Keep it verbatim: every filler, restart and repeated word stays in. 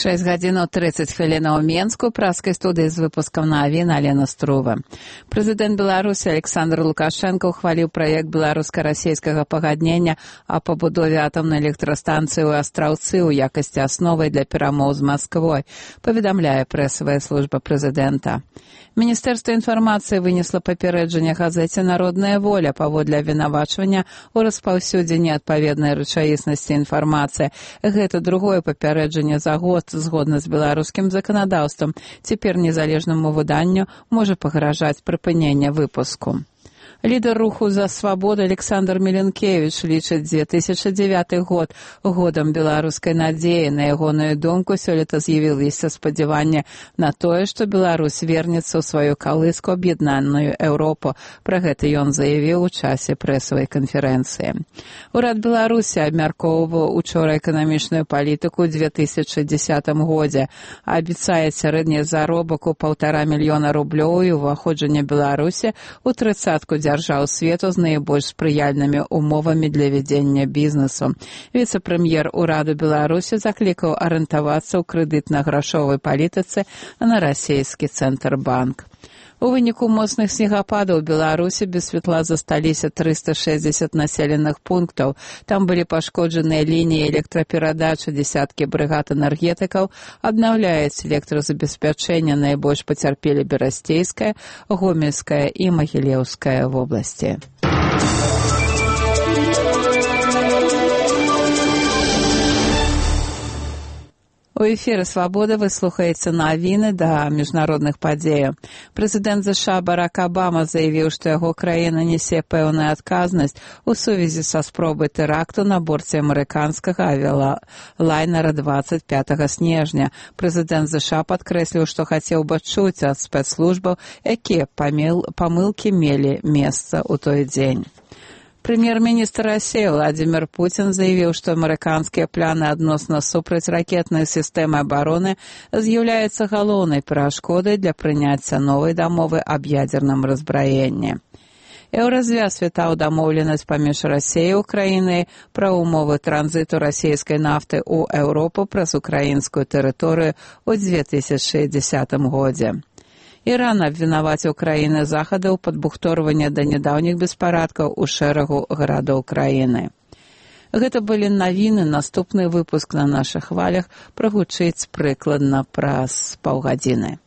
шэсць гадзінаў трыццаць хвілінаў у Менску, праскай студыі з выпускам навін Алена Струва. Прэзідэнт Беларусі Александр Лукашенко ухваліў праект беларуска-расейскага пагаднення о пабудове атамнай электрастанцыі ў Астраўцы ў якасці асновай для перамоў з Масквой, паведамляе прэсавая служба прэзідэнта. Міністэрства інфармацыі вынесла папярэджанне газеце «Народная воля» паводле абвінавачвання ў распаўсюдзе неадпаведнай рэчаіснасці інфармацыі. Гэта другое папярэджанне за год згодна з беларускім заканадаўствам. Цяпер незалежнаму выданню можа пагражаць прыпыненне выпуску. Лідар руху за свабоду Александр Меленкевич лічыць две тысячы дзевяты год годам беларускай надзеі. На ягоную думку, сёлета з'явіліся спадзяванне на тое, што Беларусь вернецца ў сваю калыску аб'яднаную Еўропу. Пра гэта ён заявіў у часе прэсавай канферэнцыі. Урад Беларусі абмяркоўваў учора эканамічную палітыку ў две тысячы дзесятым годзе. Абяцае сярэдні заробак у паўтара мільёна рублёў і ўваходжанне Беларусі ў трыццатку дзяржаў свету з найбольш спрыяльнымі умовамі для вядзення бізнесу. Віцэ-прэм'ер ураду Беларусі заклікаў арыентавацца ў крэдытна-грашовай палітыцы на расійскі Цэнтрбанк. У выніку моцных снегападаў у Беларусі без святла засталіся трыста шэсцьдзесят населеных пунктаў. Там былі пашкоджаныя лініі электраперадачы, дзесяткі брыгад энергетыкаў, аднаўляюць электразабеспячэнне, найбольш пацярпелі Берасцейская, Гомельская і Магілеўская вобласці. У эфіры «Свабода» вы слухаеце навіны да міжнародных падзеяў. Прэзідэнт ЗША Барак Абама заявіў, што яго краіна несе пэўную адказнасць у сувязі са спробай тэракту на борце амерыканскага авіялайнера дваццаць пятага снежня. Прэзідэнт ЗША падкрэсліў, што хацеў бы чуць ад спецслужбаў, якія памылкі мелі месца ў той дзень. Прэм'ер-міністр Расіі Владзімір Пуцін заявіў, што амерыканскія планы адносна супрацьракетнай сістэмы абароны з'яўляюцца галоўнай перашкодай для прыняцця новай дамовы аб ядзерным раззбраенні. Еўразвяз вітаў дамоўленасць паміж Расіяй і Украінай пра ўмовы транзіту расійскай нафты ў Еўропу праз украінскую тэрыторыю ў две тысячы дзесятым годзе. Іран абвінаваціў краіны захаду ў падбухторванні да нядаўніх беспарадкаў у шэрагу гарадоў краіны. Гэта былі навіны, наступны выпуск на нашых хвалях прагучыць прыкладна праз паўгадзіны.